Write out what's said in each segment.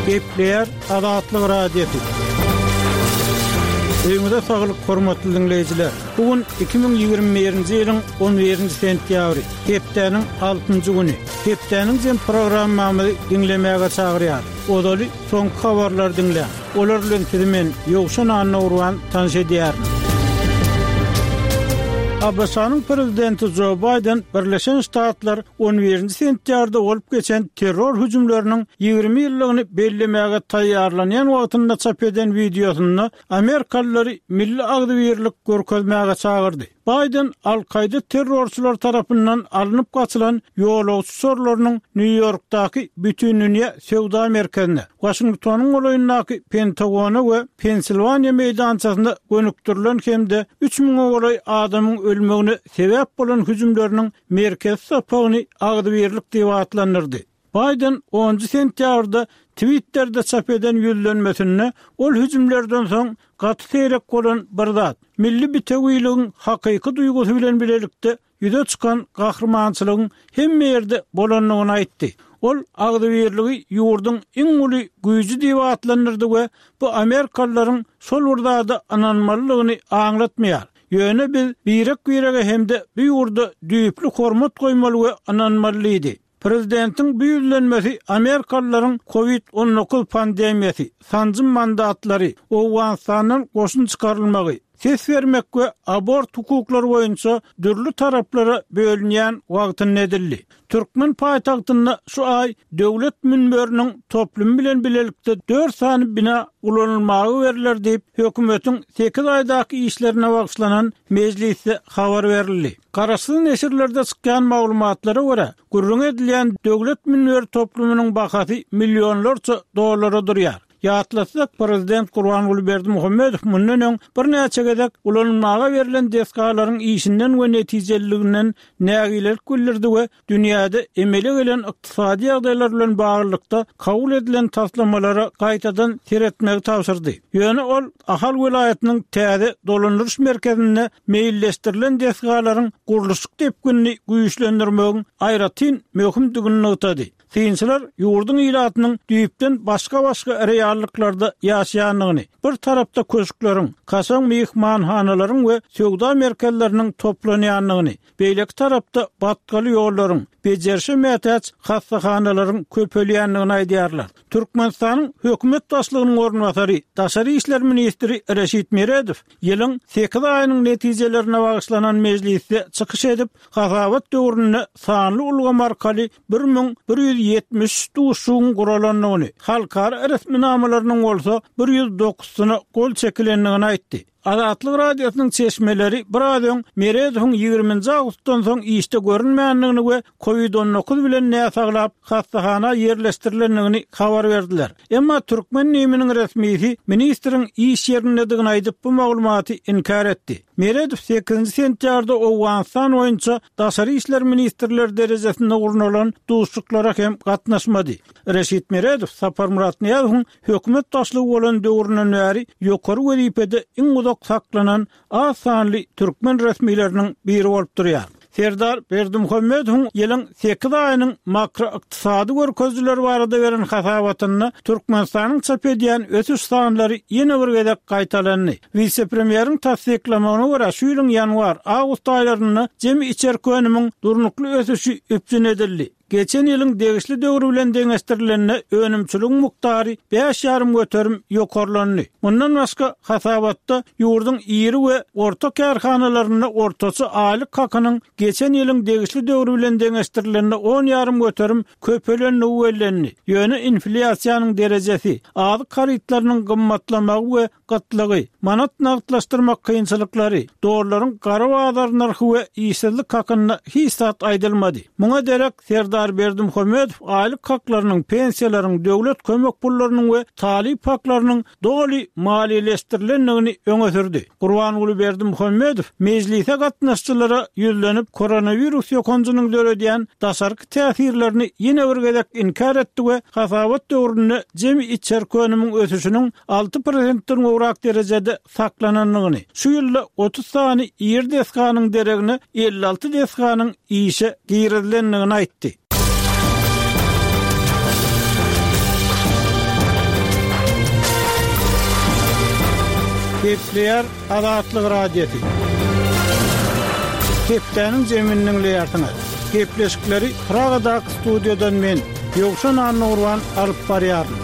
Gepleýär Azatlyk Radiosy. Öýüňize saglyk, hormatly diňleýjiler! Bu gün 2021-nji ýylyň 11-nji sentýabry, hepdäniň altynjy güni. Hepdäniň jem programmamyzy diňlemäge çagyrýar. Ozaly soňky habarlary diňläň. Olar bilen sizi men, Ýowşan Annagurban, tanyş edýärin. ABŞ-nyň Prezidenti Jo Baýden Birleşen Ştatlar on birinji sentýabrda bolup geçen terror hüjümleriniň 20 ýyllygyny bellemäge taýýarlanýan wagtynda çap eden wideosynda amerikalylary milli agzybirlik görkezmäge çagyrdy. Baýden Al-Kaýda terrorçylary tarapyndan alnyp gaçylan ýolagçy uçarlarynyň Nýu-Ýorkdaky Bütindünýä söwda merkezine, Waşingtonyň golaýyndaky Pentagona we Pensilwaniýa meýdançasyna gönükdirilen hem-de üç müňe golaý adamyň ölmegine sebäp bolan hüjümleriniň merkezi sapagyny agzybirlik diýip atlandyrdy. Baýden onunjy sentýabrda Twitterde çap eden ýüzlenmesinde ol hüjümlerden soň gaty seýrek bolan bir zat, milli bitewiligiň hakyky duýgusy bilen bilelikde ýüze çykan gahrymançylygyň hemme ýerde bolandygyny aýtdy. Ol agzybirligi ýurduň iň uly güýji diýip atlandyrdy we bu amerikalylaryň şol bir zada ynanmalydygyny aňlatmaýar. Ýöne biz birek-birege hem-de bu ýurda düýpli hormat goýmaly we ynanmaly diýdi. Prezidentiň bu ýüzlenmesi amerikalylaryň Covid 19 pandemiýasy, sanjym mandatlary, Owganystandan goşun çykarylmagy, ses bermek we abort hukuklary boýunça dürli taraplara bölünýän wagtynda edildi. Türkmen paýtagtynda şu aý Döwlet münberiniň toplumy bilen bilelikde dört sany bina ulanylmaga berler diýip, hökümetiň sekiz aýdaky işlerine bagyşlanan mejlisde habar berildi. Garaşsyz neşirlerde çykýan maglumatlara görä, gürrüňi edilýän Döwlet münberi toplumynyň bahasy millionlarça dollara durýar. Ýatlatsak, prezident Gurbanguly Berdimuhamedow mundan öň birnäçe gezek ulanylmaga berlen desgalaryň işinden we netijeliliginden nägilelik bildirdi we dünýäde emele gelen ykdysady ýagdaýlar bilen baglylykda kabul edilen taslamalara gaýtadan seretmegi tabşyrdy. Ýöne ol Ahal welaýatynyň täze dolandyryş merkezinde meýilleşdirilen desgalaryň gurluşyk depginini güýçlendirmegiň aýratyn möhümdigini nygtady. Synçylar ýurduň ilatynyň düýpden başga-başga reallyklarda ýaşaýandygyny, bir tarapda köşkleriň, kaşaň myhmanhanalaryň we söwda merkezleriniň toplanýandygyny, beýleki tarapda batgaly ýollaryň, bejerişe mätäç hassahanalaryň köpelýändigini aýdýarlar. Türkmenistanyň hökümet başlygynyň orunbasary, daşary işler ministri Reşit Meredow ýylyň sekiz aýynyň netijelerine bagyşlanan mejlisde çykyş edip, hasabat döwründe sanly ulgam arkaly 1173 duşuşygyň guralandygyny, halkara resminamalarynyň bolsa bir 109-syna gol çekilendigini aýtdy. Azatlyk Radiosynyň çeşmeleri biraz öň Meredowyň ýigriminji awgustdan soň işde görünmändigini we Covid 19 bilen näsaglap, hassahana ýerleşdirilendigini habar berdiler. Emma türkmen DIM-niň resmisi ministriň iş ýerindedigini aýdyp, bu maglumaty inkär etdi. Meredow sekizinji sentýabrda Owganystan boýunça daşary işler ministrleri derejesinde gurnalan duşuşyklara hem gatnaşmady. Reşit Meredow Saparmyrat Nyýazowyň hökümet başlygy bolan döwründen bäri ýokary wezipede iň uzak saklanan az sanly türkmen resmileriniň biri bolup durýar. Serdar Berdimuhamedowyň ýylyň sekiz aýynyň makroykdysady görkezijileri barada beren hasabatynda Türkmenistanyň çap edýän ösüş sanlary ýene bir gezek gaýtalandy. Wise-premýeriň tassyklamagyna görä, şu ýylyň ýanwar, awgust aýlarynda jemi içerki önümiň durnukly ösüşi üpjün edildi. Geçen ýylyň degişli döwri bilen deňeşdirilende önümçiligiň mukdary bäş ýarym göterim ýokarlandy. Mundan başga, hasabatda ýurduň iri we orta kärhanalarynda ortaça aýlyk hakynyň geçen ýylyň degişli döwri bilen deňeşdirilende on ýarym göterim köpelendigi bellendi. Ýöne inflýasiýanyň derejesi, azyk harytlarynyň gymmatlamagy we gytlygy, manat nagtlaşdyrmak kynçylyklary, dollaryň gara bazar nyrhy we işsizlik hakynda hiç zat aýdylmady. Muňa derek, Serdar Berdimuhamedow aýlyk haklarynyň, pensiýalaryň, döwlet kömek pullarynyň we talyp haklarynyň doly maliýeleşdirilendigini öňe sürdi. Gurbanguly Berdimuhamedow mejlise gatnaşyjylara ýüzlenip, koronawirus ýokanjynyň döredýän daşarky täsirlerini ýene bir gezek inkär etdi we hasabat döwründe jemi içerki önümiň ösüşiniň 6 prosentden gowrak derejede saklanandygyny, şu ýylda 30 sany iri desganyň deregine 56 desganyň işe girizilendigini aýtdy. Gepleýär Azatlyk Radiosy. Hepdäniň jemini diňleýärsiňiz. Gepleşikleri Pragadaky studiýadan men, Ýowşan Annagurban alyp barýaryn.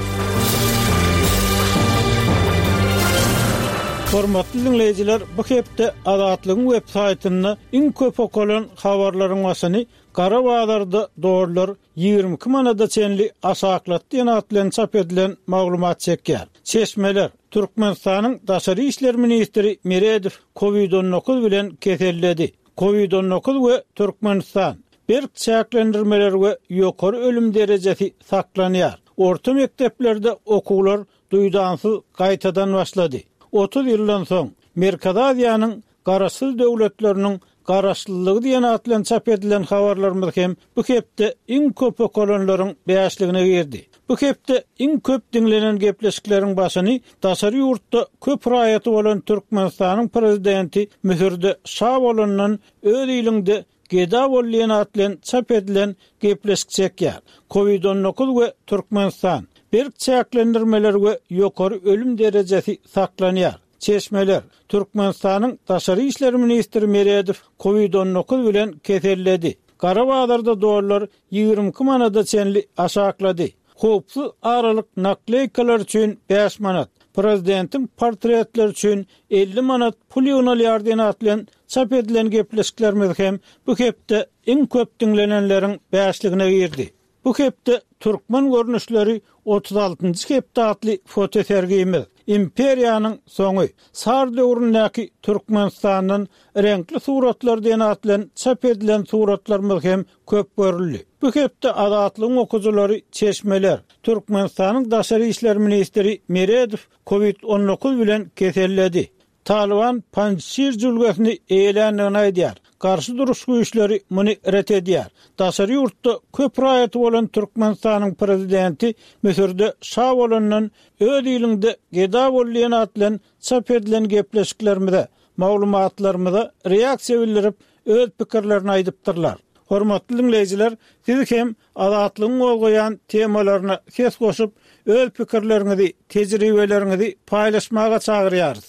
Hormatly diňleýjiler, bu hepde Azatlygyň web saýtynda iň köp okalan habarlaryň başyny Gara bazarda dollar 22 manada çenli aşaklatdy diýen at bilen çap edilen maglumat çekýär. Çeşmeler, Türkmenistanyň daşary işler ministri Meredow Covid 19 bilen keselledi. Covid 19 we Türkmenistan, Berk çäklendirmeler we ýokary ölüm derejesi saklanýar. Orta mekdeplerde okuwlar duýdansyz gaýtadan başlady. 30 ýyldan soň, Merkezi Aziýanyň Garaşsyz döwletleriniň Garaşlylygy diýen at bilen çap edilen habarlarymyz hem bu hepde iň köp okalanlaryň bäşligine girdi. Bu hepde iň köp diňlenen gepleşikleriň başyny daşary ýurtda köp raýaty bolan Türkmenistanyň prezidenti Müsürde şa bolandan öz iliňde geda bol diýen at bilen çap edilen gepleşik çekýär. Covid 19 we Türkmenistan, Berk çäklendirmeler we ýokary ölüm derejesi saklanýar. Çeşmeler, Türkmenistanyň daşary işler ministri Meredow Covid 19 bilen keselledi. Gara bazarda dollar 22 manada çenli aşaklady. Howpsuz aralyk nakleýkalar üçin 5 manat, prezidentiň portretleri üçin 50 manat pul ýygnalýar diýen at bilen çap edilen gepleşiklerimiz hem bu hepde iň köp diňlenenleriň bäşligine girdi. Bu hepde Türkmen görnüşleri 36-njy hepde atly fotosergimiz, Imperiýanyň soňy, Sar döwründäki Türkmenistandan reňkli suratlar diýen at bilen çap edilen suratlarymyz hem köp görüldi. Bu hepde Azatlygyň okyjylary çeşmeler, Türkmenistanyň daşary işler ministri Meredow Covid 19 bilen keselledi. Talyban Panjşir jülgesini eýeländigini aýdýar. Garşy duruş güýçleri muny ret edýär. Daşary ýurtda köp raýaty bolan Türkmenistanyň prezidenti Müsürde şa bolandan öz iliňde geda bol diýen at bilen çap edilen gepleşiklerimize, maglumatlarymyza reaksiýa bildirip, öz pikirlerini aýdypdyrlar. Hormatly diňleýjiler, siz hem Azatlygyň gozgaýan temalaryna ses goşup, öz pikirleriňizi, tejribeleriňizi paýlaşmaga çagyrýarys.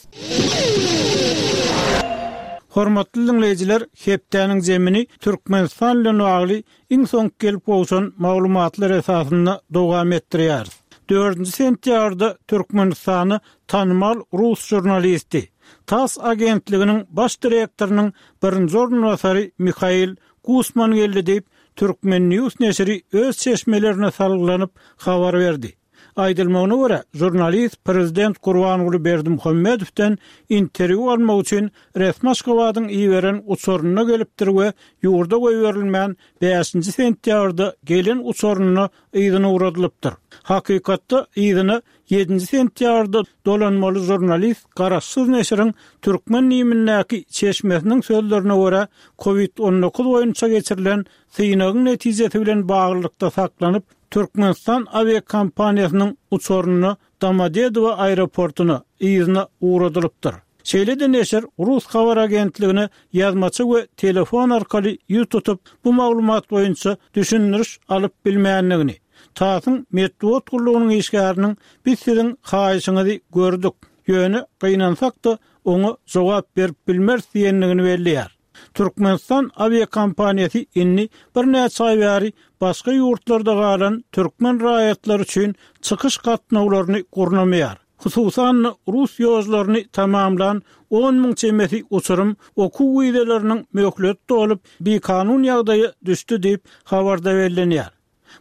Hormatly diňleýjiler, hepdäniň zemini Türkmenistan bilen bagly iň soňky gelip gowşan maglumatlar esasynda dowam etdirýäris. Dördünji sentýabrda Türkmenistana tanymal rus žurnalisti, tass agentliginiň baş direktorynyň birinji orunbasary Mihail Gusman geldi diýip, Turkmen. News neşiri öz çeşmelerine salgylanyp habar berdi. Aýdylmagyna görä, žurnalist prezident Gurbanguly Berdimuhamedowdan interwýu almak üçin resmi Aşgabadyň iberen uçarynda gelipdir we ýurda goýberilmän, bäşinji sentýabrda gelen uçarynda yzyna ugradylypdyr. Hakykatda, yzyna Ýedinji sentýabrda dolanmaly žurnalist garaşsyz neşiriň türkmen nimindäki çeşmesiniň sözlerine görä, Covid 19 boýunça geçirilen synagyň netijesi bilen baglylykda saklanyp, Türkmenistan awiakompaniýasynyň uçarynda Domodedowo aeroportuna, yzyna ugradylypdyr. Şeýle-de neşir rus habar agentligine ýazmaça we telefon arkaly ýüz tutup, bu maglumat boýunça düşündiriş alyp bilmändigini, TASS-yň metbugat gullugynyň işgäriniň biz siziň haýyşyňyzy gördük, ýöne gynansak-da, oňa jogap berip bilmeris diýendigini belleýär. Türkmenistan awiakompaniýasy indi birnäçe aý bäri başga ýurtlarda galan türkmen raýatlary üçin çykyş gatnawlaryny gurnamaýar. Hususan-da, rus ýolcularyny tamamlan on müň çemesi uçurym okuw wizalarynyn möhleti dolup, bikanun ýagdaýa düşdi diýip, habarda bellenýär.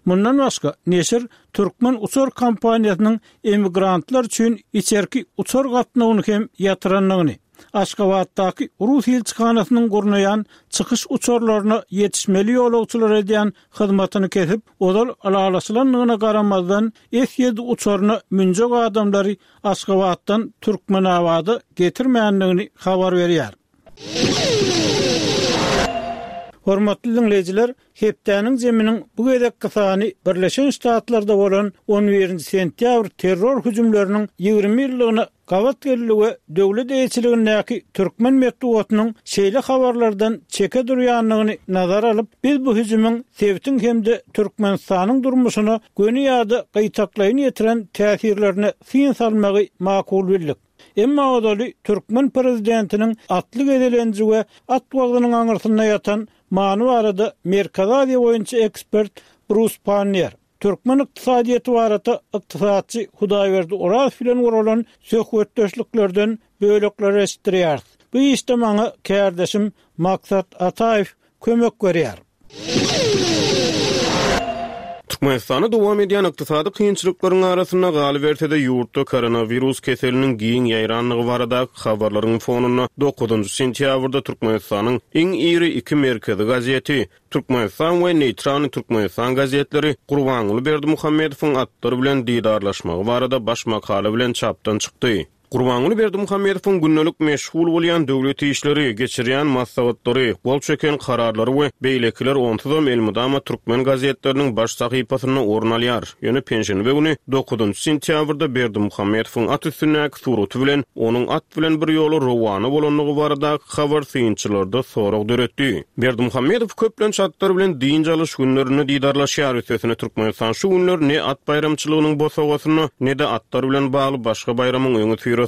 Mundan başga, neşir türkmen uçar kompaniýasynyň emigrantlar üçin içerki uçar gatnawyny hem ýatyrandygyny, Aşgabatdaky rus ilçihanasynyň gurnaýan çykyş uçarlaryna ýetişmeli ýolagçylara edýän hyzmatyny kesip, ozal ylalaşylandygyna garamazdan, S-ýedi uçaryna münjek adamlary Aşgabatdan Türkmenabada getirmändigini habar berýär. Hormatly diňleýjiler, hepdäniň zeminiň bu gezekki sany Birleşen Ştatlarda bolan on birinji sentýabr terror hüjümleriniň 20 ýyllygyna gabat geldi we döwlet eýeçiligindäki türkmen metbugatynyň şeýle habarlardan çeke durýandygyny nazara alyp, biz bu hüjümiň sebitiň hem-de Türkmenistanyň durmuşyna göni ýa-da gytaklaýyn ýetiren täsirlerine syn salmagy makul bildik. Emma ozaly türkmen prezidentiniň atly gezelenji we at wagzynyň aňyrsynda ýatan many barada Merkezi Aziýa boýunça ekspert Brus Panniýer, türkmen ykdysadyýeti barada ykdysatçy Hudaýberdi Orazow bilen guralan söhbetdeşliklerden bölekler eşitdirýäris. Bu işde maňa kärdeşim Maksat Ataýew kömek berýär. Türkmenistanda dowam edýän ykdysady kynçylyklaryň arasynda, galyberse-de, ýurtda koronawirus keseliniň giň ýaýrandygy baradaky habarlaryň fonunda dokuzynjy sentýabrda Türkmenistanyň iň iri iki merkezi gazeti, Türkmenistan we Neýtralnyý Türkmenistan gazetleri Gurbanguly Berdimuhamedowyň atlar bilen didarlaşmagy barada baş makala bilen çapdan çykdy. Gurbanguly Berdimuhamedowyň gündelik meşgul bolýan döwlet işleri, geçirýän maslahatlary, gol çeken kararlary we beýlekiler onsuzam elmydama türkmen gazetleriniň baş sahypasynda orun alýar. Ýöne penşenbe güni, dokuzynjy sentýabrda Berdimuhamedowyň at üstündäki suraty bilen onuň at bilen bir ýola rowana bolandygy baradaky habar synçylarda sorag döretdi. Berdimuhamedow köplenç atlar bilen dynç alyş günlerinde didarlaşýar, üstesine Türkmenistan şu günler ne at baýramçylygynyň bosagasynda, ne-de atlar bilen bagly başga baýramyň öňüsyrasynda.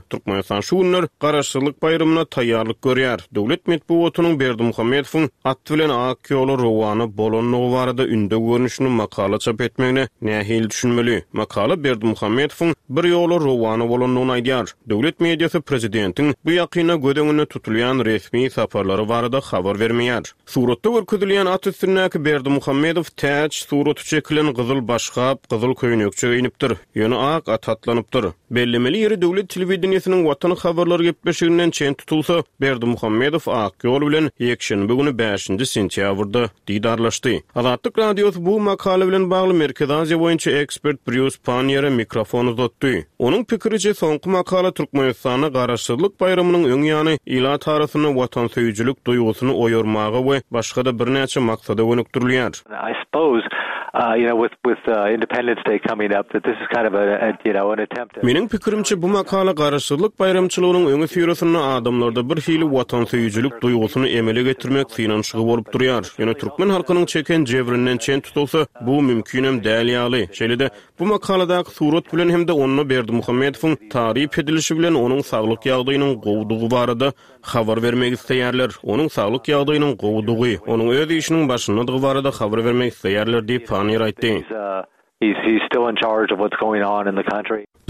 Türkmenistan şu günler Garaşsyzlyk baýramyna taýýarlyk görýär. Döwlet metbugatynyň Berdimuhamedowyň at bilen ak ýola rowana bolandygy barada ündew görnüşinde makala çap etmegine nähili düşünmeli? Makala Berdimuhamedowyň bir ýola rowana bolandygyny aýdýar. Döwlet mediasy prezidentiň bu ýakynda göz öňünde tutulýan resmi saparlary barada habar bermeýär. Suratda görkezilýän at üstündäki Berdimuhamedow täç suraty çekilen gyzyl başgap, gyzyl köýnekçe geýnipdir, ýöne ak ata atlanypdyr. Bellemeli ýeri döwlet telewideniýesiniň Watan habarlary gepleşiginden çen tutulsa, Berdimuhamedow ak ýol bilen ýekşenbe güni bäşinji sentýabrda didarlaşdy. Azatlyk Radiosy bu makala bilen bagly Merkezi Aziýa boýunça ekspert Brýus Panniýere mikrofon uzatdy. Onuň pikiriçe, soňky makala Türkmenistanda Garaşsyzlyk baýramynyň öň ýany ilat arasynda watansöýüjilik duýgusyny oýarmaga we başga-da birnäçe maksada gönükdirilýär. I suppose, you know, with with Independence Day coming up, that this is kind of a, you know, an attempt at. Meniň pikirimçe, bu makala Garaşsyzlyk baýramçylygynyň öňüsyrasynda adamlarda bir hili watansöýüjilik duýgusyny emele getirmek synanyşygy bolup durýar. Ýöne türkmen halkynyň çeken jebrinden çen tutulsa, bu mümkinem däl ýaly. Şeýle-de, Bu makaladaky surat bilen hem-de onda Berdimuhamedowyň taryp edilişi bilen onuň saglyk ýagdaýynyň gowudygy barada habar bermek isleýärler. Onuň saglyk ýagdaýynyň gowudygy, onuň öz işiniň başyndadygy barada habar bermek isleýärler diýip, Panniýer aýtdy.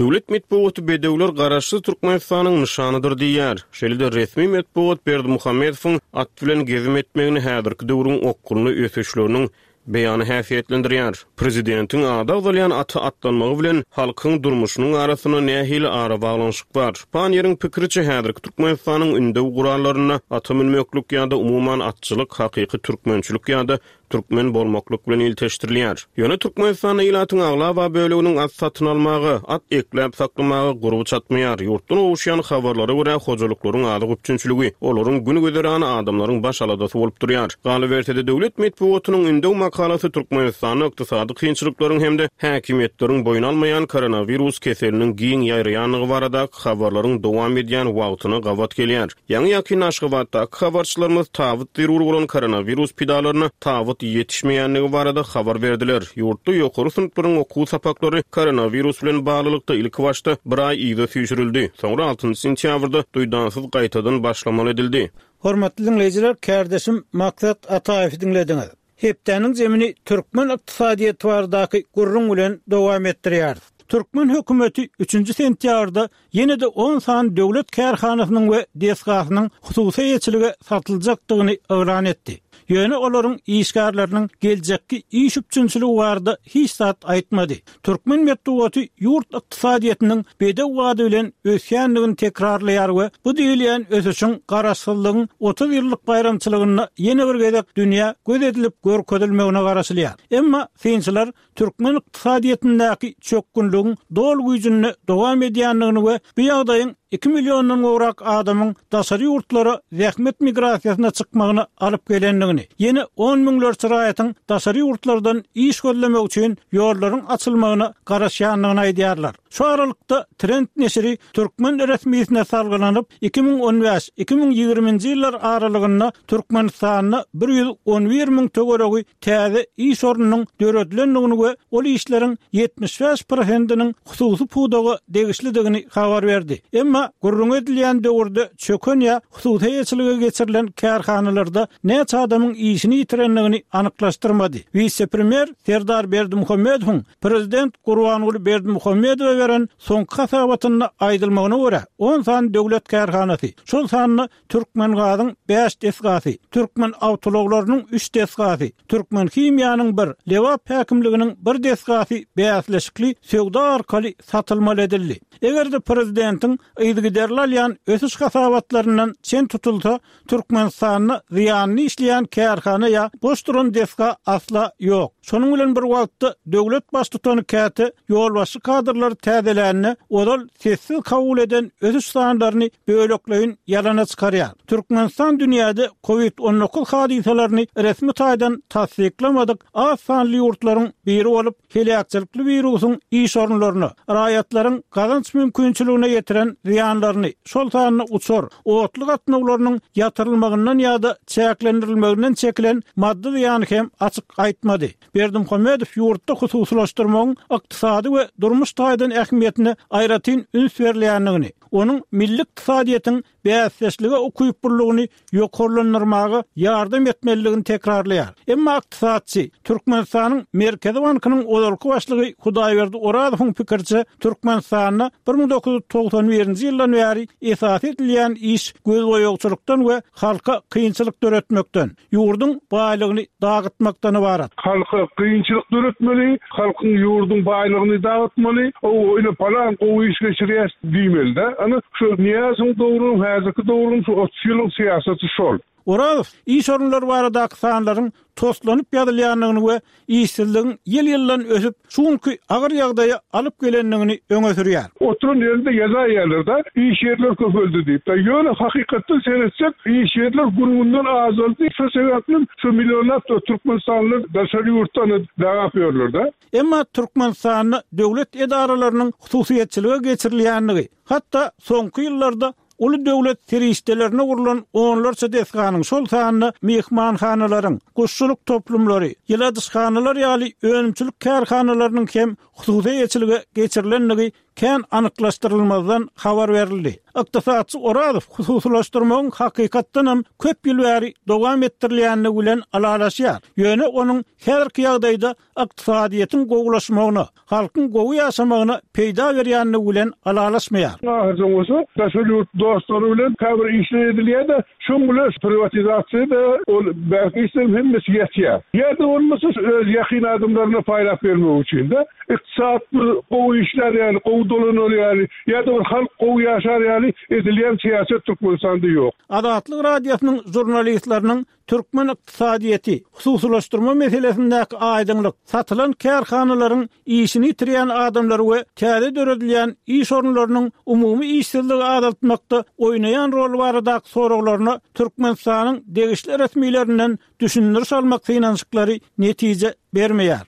Döwlet metbugaty bedewler Garaşsyz Türkmenistanyň nyşanydyr diýýär. Şeýle-de resmi metbugat Berdimuhamedowyň at bilen gezim etmegini häzirki döwrüň okgunly ösüşleriniň beýany häsiýetlendirýär. Prezidentiň ady agzalýan ata atlanmagy bilen halkyň durmuşynyň arasynda nähili arabaglanyşyk bar? Panniýeriň pikiriçe, häzirki Türkmenistanyň ündew gurallarynda ata münmeklik ýa-da umuman atçylyk hakyky türkmençilik ýa-da türkmen bolmaklyk bilen ilteşdirilýär. Ýöne Türkmenistanda ilatyň aglaba böleginiň at satyn almaga, at ekläp saklamaga gurby çatmaýar. Ýurtdan gowuşýan habarlara görä, hojalyklaryň azyk üpjünçiligi, olaryň gün-güzerany adamlaryň baş aladasy bolup durýar. Galyberse-de, döwlet metbugatynyň ündew makalasy Türkmenistanda ykdysady kynçylyklaryň hem-de häkimiýetleriň boýun almaýan koronawirus keseliniň giň ýaýraýandygy baradaky habarlaryň dowam edýän wagtyna gabat gelýär. Ýaňy-ýakynda Aşgabatdaky habarçylarymyz tabyt zerur bolan koronawirus pidalaryna tabyt ýetişmeýändigi barada habar berdiler. Ýurtda ýokary synplaryň okuw sapaklary koronawirus bilen baglylykda ilkibaşda bir aý yza süýşürildi, soňra altynjy sentýabrda duýdansyz gaýtadan başlamaly edildi. Hormatly diňleýjiler, kärdeşim Maksat Ataýewi diňlediňiz. Hepdäniň zemini türkmen ykdysadyýeti baradaky gürrüň bilen dowam etdirýäris. Türkmen hökümeti üçünji sentýabrda ýene-de on sany döwlet kärhanasynyň we desgasynyň hususy eýeçilige satyljakdygyny yglan etdi. Ýöne olaryň işgärleriniň geljekki iş üpjünçiligi barada hiç zat aýtmady. Türkmen metbugaty ýurt ykdysadyýetiniň bedew bady bilen ösýändigini tekrarlaýar we bu diýilýän ösüşiň Garaşsyzlygyň 30 ýyllyk baýramçylygynda ýene bir gezek dünýä göz edilip görkezilmegine garaşylýar. Emma synçylar türkmen ykdysadyýetindäki çökgünligiň doly güýjünde dowam edýändigini we bu ýagdaýyň iki milliondan gowrak adamyň daşary ýurtlara zähmet migrasiýasyna çykmagyna alyp gelendigini, ýene on müňlerçe raýatyň daşary ýurtlardan iş gözlemek üçin ýollaryň açylmagyna garaşýandygyny aýdýarlar. Şu aralykda, Trend neşiri türkmen resmisine salgylanyp, 2015, 2020-nji ýyllar aralygynda Türkmenistanda 111 müň töweregi täze iş ornunyň döredilendigini we ol işleriň 75 prosentiniň hususy pudaga degişlidigini habar berdi. Emma. Emma gürrüňi edilýän döwürde çöken ýa hususy eýeçilige geçirilen kärhanalarda näçe adamyň işini ýitirendigini anyklaşdyrmady. Wise-premýer Serdar Berdimuhamedowyň prezident Gurbanguly Berdimuhamedowa beren soňky hasabatynda aýdylmagyna görä, on sany döwlet kärhanasy, şol sanda Türkmengazyň bäş desgasy, Türkmenawtoulaglarynyň üç desgasy, Türkmenhimiýanyň bir, Lebap häkimliginiň bir desgasy bäsleşikli söwda arkaly satylmaly edildi. Eger-de prezidentiň yzygiderli alýan ösüş hasabatlaryndan çen tutulsa, Türkmenistanda zyýanly işleýän kärhana ýa boş duran desga asla ýok. Şonuň bilen bir wagtda, döwlet baştutany käte ýolbaşçy kadrlary täzelände, ozal sessiz kabul eden ösüş sanlaryny bölekleýin ýalana çykarýar. Türkmenistan dünýäde Covid 19 hadysalaryny resmi taýdan tassyklamadyk az sanly ýurtlaryň biri bolup, heläkçilikli wirusyň iş orunlaryna, raýatlaryň gazanç mümkinçiligine ýetiren zyýanlaryny, şol sanda uçar, otly gatnawlarynyň ýatyrylmagyndan ýa-da çäklendirilmeginden çekilen maddy zyýany hem açyk aýtmady. Berdimuhamedow ýurtda hususylaşdyrmagyň ykdysady we durmuş taýdan ähmiýetine aýratyn üns berilýändigini, onuň milli ykdysadyýetiň bäsdeşlige ukyplylygyny ýokarlandyrmaga ýardam etmelidigini tekrarlaýar. Emma ykdysatçy, Türkmenistanyň Merkezi bankynyň ozalky başlygy Hudaýberdi Orazowyň pikiriçe, Türkmenistanda 1991-nji ýyldan bäri esasy edilýän iş gözboýagçylykdan we halka kynçylyk döretmekden, ýurduň baýlygyny dagytmakdan ybarat. Halka kynçylyk döretmeli, halkyň ýurduň baýlygyny dagytmaly, hawa ine palan gowy iş geçirýäs diýmeli-dä. Ana, şu Nyýazowyň döwrüniň, häzirki döwrüň şu 30 ýylyň syýasaty şol. Orazow iş orunlary baradaky sanlaryň toslanyp ýazylýandygyny we işsizligiň ýyl-ýyldan ösüp, şu günki agyr ýagdaýa alyp gelendigini öňe sürýär. Oturan ýerinde ýazaýýarlar-da, iş ýerleri köpeldi diýip. Ýöne hakykatdan seretsek, iş ýerler gün-günden azaldy. Şo sebäplem şu millionlap türkmenistanlylar daşary ýurtdan dagap ýörler-de. Emma Türkmenistanda döwlet edaralarynyň hususyýetçilige geçirilýändigi, hatda soňky ýyllarda Uly döwlet serişdelerine gurlan onlarça desganyň, şol sanda myhmanhanalaryň, guşçulyk toplumlary, ýyladyşhanalar ýaly önümçilik kärhanalarynyň hem hususy eýeçilige geçirilendigi kän anyklaşdyrylmazdan habar berildi. Ykdysatçy Orazow hususylaşdyrmagyň hakykatdanam köp ýyl bäri dowam etdirilýändigi bilen ylalaşýar. Ýöne onuň häzirki ýagdaýda ykdysadyýetiň gowulaşmagyna, halkyň gowy ýaşamagyna peýda berýändigi bilen ylalaşmaýar. Ahyrsoň bolsa daşary ýurt dostlary bilen käbir işler edilýär-de, şoň bilen priwatizasiýa-da, ol bärki işleriň hemmesi ýatýar. Ýa-da bolmasa öz ýakyn adamlaryna paýlap bermek üçin-de, ykdysat bir gowy işlär ýaly, gowy dolanar ýaly, ýa-da bir halk gowy ýaşar ýaly edilýän syýasat Türkmenistanda ýok. Azatlyk Radiosynyň žurnalistleriniň Türkmen ykdysadyýeti, hususylaşdyrma meselesindäki aýdyňlyk, satylan kärhanalaryň işini ýitirýän adamlary we täze döredilýän iş orunlarynyň umumy işsizligi azaltmakda oýnaýan roly baradaky soraglaryna Türkmenistanyň degişli resmilerinden düşündiriş almak synanyşyklary netije bermeýär.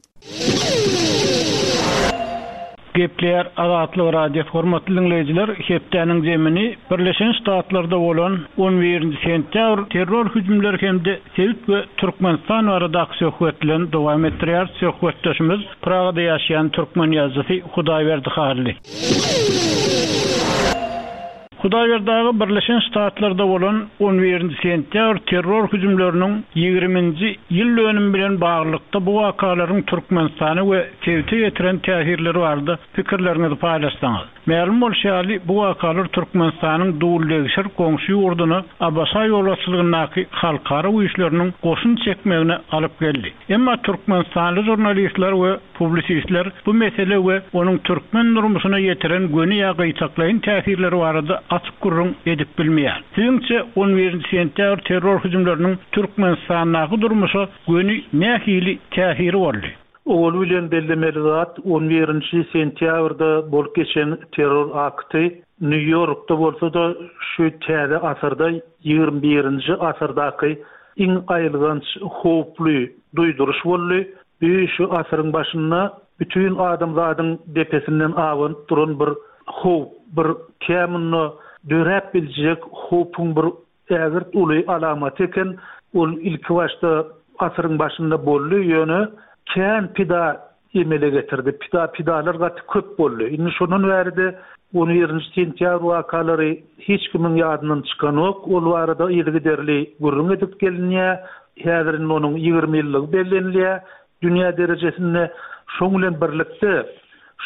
Gepleýär Azatlyk Radiosy Hormatly diňleýjiler, hepdäniň zemini Birleşen Ştatlarda bolan on birinji sentýabr terror hüjümleri hem-de sebit we Türkmenistan baradaky söhbet bilen dowam etdirýäris. Söhbetdeşimiz Pragada ýaşaýan türkmen ýazyjysy Hudaýberdi Hally. Hudaýberdi aga Birleşen Ştatlarda bolan on birinji sentýabr terror hüjümleriniň ýigriminji ýyl dönümi bilen baglylykda bu wakalaryň Türkmenistana we sebite ýetiren täsirleri barada pikirleriňizi paýlaşsaňyz. Mälim bolşy ýaly, bu wakalar Türkmenistanyň duldegşir goňşy ýurduna ABŞ ýolbaşçylygyndaky halkara güýçleriniň goşun çekmegine alyp geldi. Emma türkmenistanly žurnalistler we Publisistler bu mesele we onuň türkmen durmuşyna ýetiren göni ýa gytaklaýyn täsirleri barada açyk gürrüň edip bilmeýär. Siziňçe, on birinji sentýabr terror hüjümleriniň Türkmenistandaky durmuşa göni nähili täsiri boldy? Owaly bilen bellemeli zat, on birinji sentýabrda bolup geçen terror akty Nýu-Ýorkda bolsa-da, şu täze asyrda, ýigrimi birinji asyrdaky iň aýylganç, howply duýduryş boldy. Bu şu asyryň başynda bütin adamzadyň depesinden abanyp duran bir howp, bir kä munda döräp biljek howpuň bir ägirt uly alamaty eken. Ol ilkibaşda asyryň başynda boldy, ýöne kän pida. emele getirdi. Pida pidalar gaty köp boldy. Indi şondan bäri-de on birinji sentýabr wakalary hiç kimiň ýadyndan çykanok. Ol barada yzygiderli gürrüň edip gelinýär. Häzir indi onuň 20 ýyllygy bellenilýär dünýä derejesinde. Şoň bilen birlikde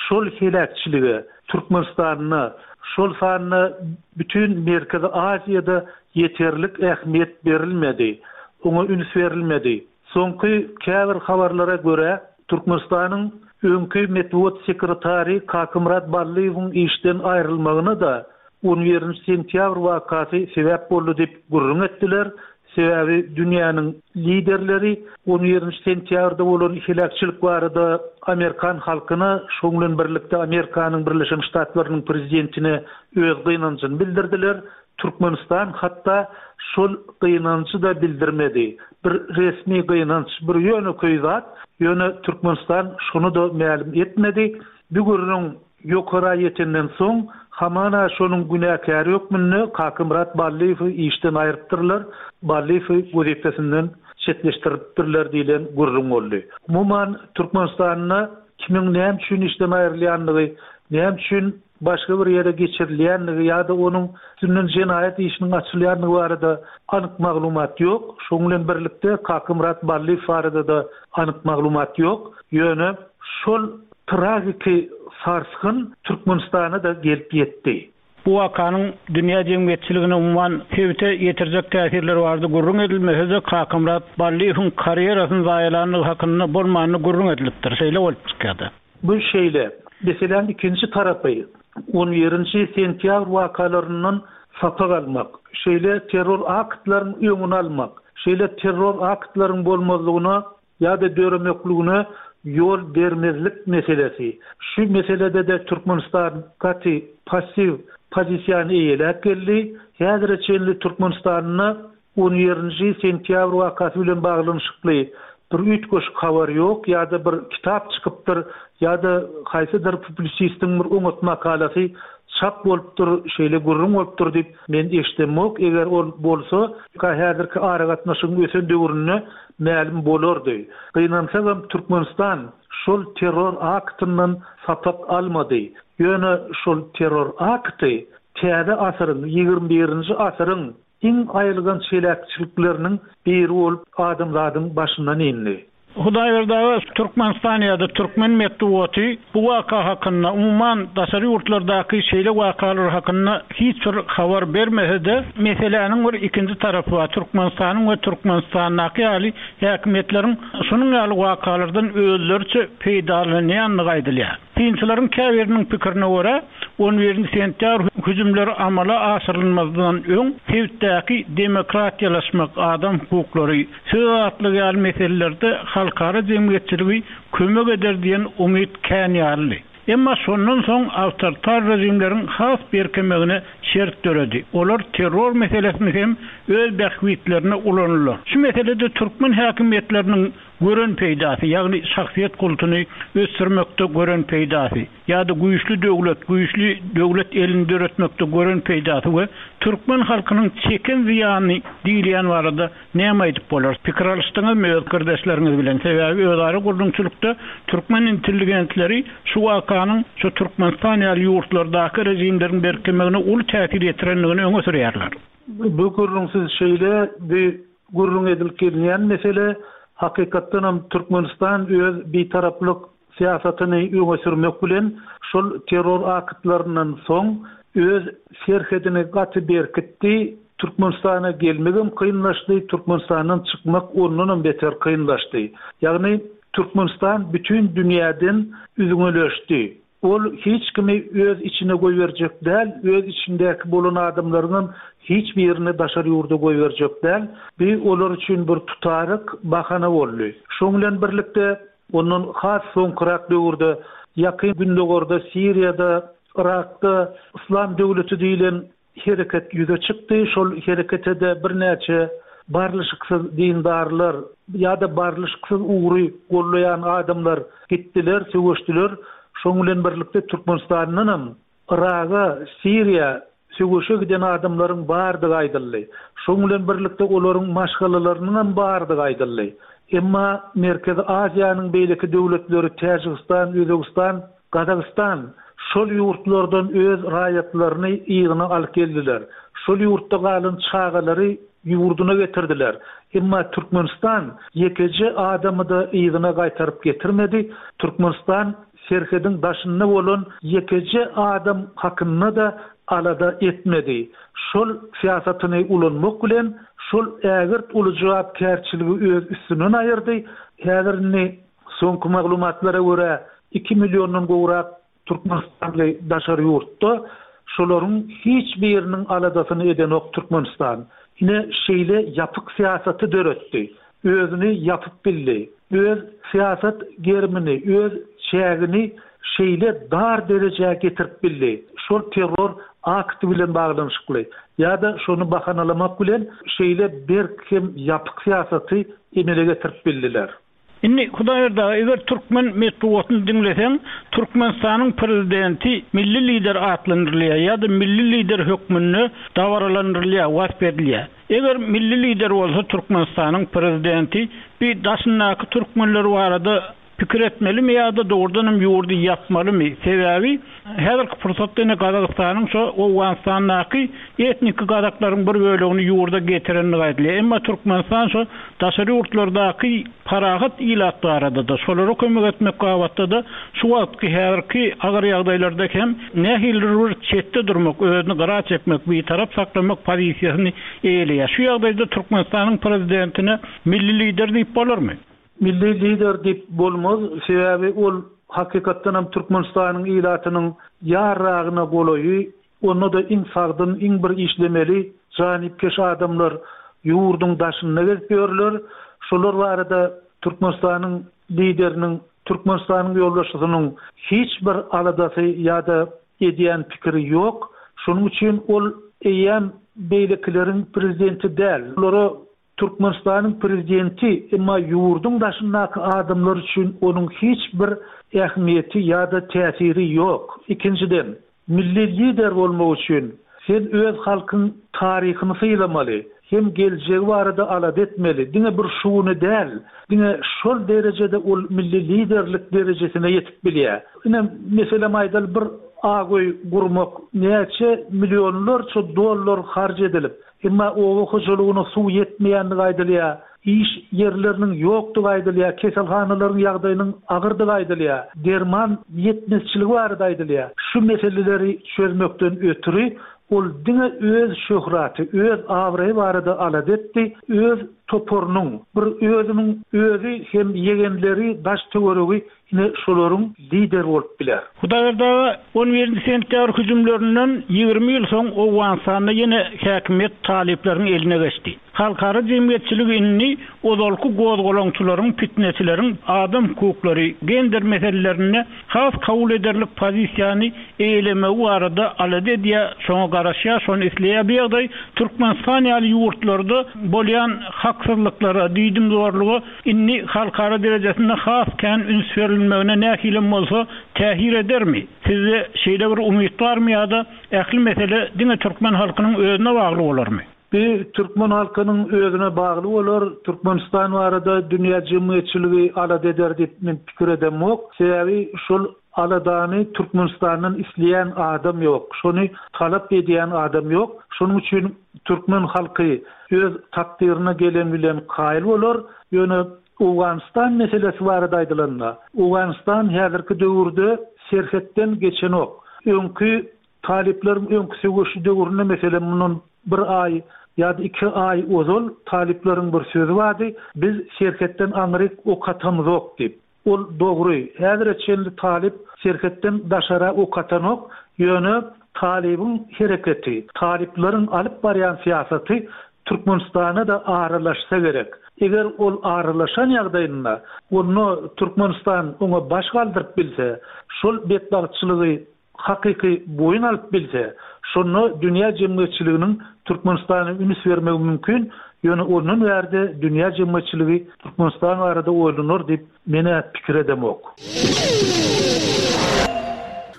şol heläkçilige Türkmenistanda, şol sanda bütin Merkezi Aziýada ýeterlik ähmiýet berilmedi. Oňa üns berilmedi. Soňky käbir habarlara görä, Türkmenistanyň öňki metbugat sekretary Kakymyrat Ballyýewiň işden aýrylmagyna-da on birinji sentýabr wakasy sebäp boldy diýip gürrüň etdiler. Sebäbi dünýäniň liderleri on birinji sentýabrda bolan heläkçilik barada amerikan halkyna, şoň bilen birlikde Amerikanyň Birleşen Ştatlarynyň prezidentine öz gynanjyny bildirdiler. Türkmenistan hatda şol gynanjy-da bildirmedi. Bir resmi gynanç, bir ýönekeý zat, ýöne Türkmenistan şony-da mälim etmedi. Bu gürrüň ýokara ýetenden soň, hamana şonuň günäkäri hökmünde Kakymyrat Ballyýewi işden aýrypdyrlar, Ballyýewi wezipesinden çetleşdiripdirler diýlen gürrüň boldy. Umuman, Türkmenistanda kimiň näme üçin işden aýrylýandygy, näme üçin başga bir ýere geçirilýändigi ýa-da onuň üstünden jenaýat işiniň açylýandygy barada anyk maglumat ýok. Şonuň bilen birlikde Kakymyrat Ballyýew barada-da anyk maglumat ýok. Ýöne şol tragiki sarsgyn Türkmenistana-da gelip ýetdi. Bu wakanyň dünýä jemgyýetçiligine, umuman, sebite ýetirjek täsirleri barada gürrüň edilmese-de, Kakamyrat Ballyýewiň karýerasyny zaýalandygy hakynda bolmanda gürrüň edilipdir. Şeýle bolup çykýar-da. Bu şeýle. Meseläniň ikinji tarapy, on birinji sentýabr wakalaryndan sapak almak, şeýle terror aktlaryň öňüni almak, şeýle terror aktlaryň bolmazlygyna ýa-da döremekligine ýol bermezlik meselesi. Şu meselede-de Türkmenistan gaty passiw pozisiýany eýeläp geldi. Häzire çenli Türkmenistanda On birinji sentýabr wakasy bilen baglanyşykly bir üýtgeşik habar ýok ýa-da bir kitap çykypdyr ýa-da haýsydyr publisistiň bir oňat makalasy çap bolupdyr, şeýle gürrüň bolupdyr diýip men eşidemok. Eger ol bolsa, häzirki aragatnaşygyň ösen döwründe mälim bolardy. Gynansagam Türkmenistan şol terror aktyndan sapak almady. Ýöne şol terror akty täze asyryň, 21-nji asyryň Iň aýylganç heläkçilikleriniň biri bolup adamzadyň başyndan indi. Hudaýberdi aga, Türkmenistan ýa-da türkmen metbugaty bu waka hakynda, umuman, daşary ýurtlardaky şeýle wakalar hakynda hiç bir habar bermese-de, meseläniň bir ikinji tarapy bar, Türkmenistanyň we Türkmenistandaky ýaly häkimiýetleriň şunuň ýaly wakalardan özleriçe peýdalanýandygy aýdylýar. Synçylaryň käbiriniň pikirine görä, on birinji sentýabr hüjümleri amala aşyrylmazdan öň sebitdäki demokratiýalaşmak, adam hukuklary, söz azatlygy ýaly meselelerde halkara jemgyýetçiligi kömek eder diýen umyt kän ýalydy. Emma şondan soň awtoritar režimleriň has berkemegine şert döredi. Olar terror meselesini hem öz bähbitlerine ulandylar. Şu meselede türkmen häkimiýetleriniň gören peýdasy, ýagny şahsyýet kultuny ösdürmekde gören peýdasy ýa-da güýçli döwlet, güýçli döwlet elini döretmekde gören peýdasy we türkmen halkynyň çeken zyýany diýilýän barada näme aýdyp bolar? Pikir alyşdyňyzmy öz pikirdeşleriňiz bilen? Sebäbi özara gürrüňçilikde türkmen intelligentleri şu wakanyň şu Türkmenistan ýaly ýurtlardaky režimleriň berkemegine uly täsir ýetirendigini öňe sürýärler. Bu gürrüňsiz şeýle, bu Gürrüň edilip gelinýän mesele, hakykatdanam Türkmenistan öz bitaraplyk syýasatyny öňe sürmek bilen, şol terror aktlaryndan soň öz serhedini gaty berkitdi, Türkmenistana gelmegem kynlaşdy, Türkmenistandan çykmak ondanam beter kynlaşdy. Ýagny Türkmenistan bütin dünýäden üzňeleşdi. Ol hiç kimi öz içine goýberjek däl, öz içindäki bolan adamlaryňam hiç birini daşary ýurda goýberjek däl. Bu olar üçin bir tutaryk, bahana boldy. Şoň bilen birlikde, ondan has soňkurak döwürde Ýakyn Gündogarda, Siriýada, Yrakda Yslam döwleti diýlen hereket ýüze çykdy. Şol herekete-de birnäçe barlyşyksyz dindarlar ýa-da barlyşyksyz ugry gollaýan adamlar gitdiler, söweşdiler. Şonuň bilen birlikde Türkmenistandanam Yraga, Siriýa söweşe giden adamlaryň bardygy aýdyldy. Şonuň bilen birlikde olaryň maşgalalarynyňam bardygy aýdyldy. Emma Merkezi Aziýanyň beýleki döwletleri Täjigistan, Özbegistan, Gazagystan şol ýurtlardan öz raýatlaryny yzyna alyp geldiler. Şol ýurtda galan çagalary ýurduna getirdiler. Emma Türkmenistan ýekeje adamy-da yzyna gaýtaryp getirmedi. Türkmenistan serhediň daşynda bolan ýekeje adam hakynda-da alada etmedi. Şol syýasatyny ulanmak bilen, şol ägirt uly jogapkärçiligi öz üstünden aýyrdy. Häzir indi soňky maglumatlara görä, iki milliondan gowrak türkmenistanly daşary ýurtda. Şolaryň hiç biriniň aladasyny edenok Türkmenistan. Ine, şeýle ýapyk syýasaty döretdi. Özüni ýapyp bildi. Öz syýasat gerimini, öz çägini şeýle dar derejä getirip bildi. Şol terror akty bilen baglanyşykly ýa-da şony bahanalamak bilen şeýle berk hem ýapyk syýasaty emele getirip bildiler. Indi, Hudaýberdi aga, eger türkmen metbugatyny diňleseň, Türkmenistanyň prezidenti milli lider atlandyrylýar ýa-da milli lider hökmünde dabaralandyrylýar, wasp edilýär. Eger milli lider bolsa Türkmenistanyň prezidenti bi daşyndaky türkmenler barada pikir etmelimi ýa-da dogrudan hem ýurdy ýapmalymy? Sebäbi häzirki pursatda ine Gazagystanyň şo Owganystandaky etniki gazaklaryň bir bölegini ýurda getirendigi aýdylýar. Emma Türkmenistan şo daşary ýurtlardaky parahat ilat barada-da, şolara kömek etmek babatda-da şu wagtky häzirki agyr ýagdaýlarda hem nähilidir bir çetde durmak, özüni gyra çekmek, bitarap saklamak pozisiýasyny eýeleýär. Şu ýagdaýda Türkmenistanyň prezidentine milli lider diýip bolarmy? Milli lider diýip bolmaz, sebäbi ol hakykatdan hem Türkmenistanyň ilatynyň ýarragyna golaýy Onda-da iň sagdyn, iň bir işlemeli, janypkeş adamlar ýurduň daşynda gezip ýörler. Şolar barada Türkmenistanyň Lideriniň, Türkmenistanyň ýolbaşçysynyň hiç bir aladasy ýa-da edýän pikiri ýok. Şonuň üçin ol eýýäm beýlekileriň prezidenti däl. Olara Türkmenistanyň prezidenti, emma ýurduň daşyndaky adamlar üçin onuň hiç bir ähmiýeti ýa-da täsiri ýok. Ikinjiden, milli lider bolmak üçin sen öz halkyň taryhyny sylamaly hem geljegi barada alada etmeli, diňe bir şu güni däl, diňe şol derejede ol milli liderlik derejesine ýetip bilýär. Ine, meselem aýdaly, bir ak öý gurmak näçe millionlarça dollar harç edilip, Emma oba hojalygyna suw ýetmeýändigi aýdylýar, iş ýerleriniň ýokdugy aýdylýar, keselhanalaryň ýagdaýynyň agyrdygy aýdylýar, derman ýetmezçiligi barada aýdylýar. Şu meseleleri çözmekden ötri, ol diňe öz şöhraty, öz abraýy barada alada etdi, öz toparynyň, bir özüniň özi hem ýegenleri, daş-töweregi Ine şolaryň lideri bolup biler. Hudaýberdi aga, on birinji sentýabr hüjümlerinden 20 ýyl soň Owganystanda ýene häkimiýet talyplaryň eline geçdi. Halkara jemgyýetçiligi indi ozalky gozgalaňçylaryň, pitneçileriň adam hukuklary, gender meselelerinde has kabul ederlik pozisiýany eýelemegi barada alada edýär, şoňa garaşýar, şony isleýär. Bu ýagdaý Türkmenistan ýaly ýurtlarda bolýan haksyzlyklara, diýdimzorluga Indi halkara derejesinde has kän üns berilmegine nähilem bolsa täsir edermi? Sizde şeýle bir umyt barmy ýa-da ähli mesele diňe türkmen halkynyň özüne bagly bolarmy? Bu türkmen halkynyň özüne bagly bolar. Türkmenistan barada dünýä jemgyýetçiligi alada eder diýip men pikir edemok. Sebäbi şol aladany Türkmenistandan isleýän adam ýok. Şony talap edýän adam ýok. Şonuň üçin Türkmen halky öz takdyryna gelen bilen kaýyl bolar. Ýöne Owganystan meselesi barada aýdylanda, Owganystan häzirki döwürde serhetden geçenok. Öňki talyplaryň öňki söweşi döwründe meselem mundan bir aý ýa-da iki aý ozal talyplaryň bir sözi bardy, biz serhetden aňryk ok atamyzok diýip. Ol dogry, häzire çenli talyp serhetden daşara ok atanok, ýöne talybyň hereketi, talyplaryň alyp barýan syýasaty Türkmenistana-da aralaşsa gerek. Eger ol aralaşan ýagdaýynda, onda Türkmenistan oňa baş galdyryp bilse, şol betbagtçylygy hakyky boýun alyp bilse, şonda dünýä jemgyýetçiliginiň Türkmenistana üns bermegi mümkin, ýöne ondan bärde dünýä jemgyýetçiligi Türkmenistan barada oýlanar diýip men-ä pikir edemok.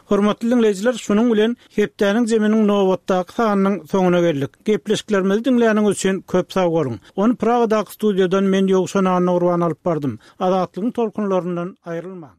Hormatly diňleýjiler, şunuň bilen Hepdäniň jeminiň nobatdaky sanynyň soňuna geldik. Gepleşiklerimizi diňläniňiz üçin köp sag boluň. Ony Pragadaky studiýadan men Ýowşan Annagurban alyp bardym. Azatlygyň tolkunlaryndan aýrylmaň.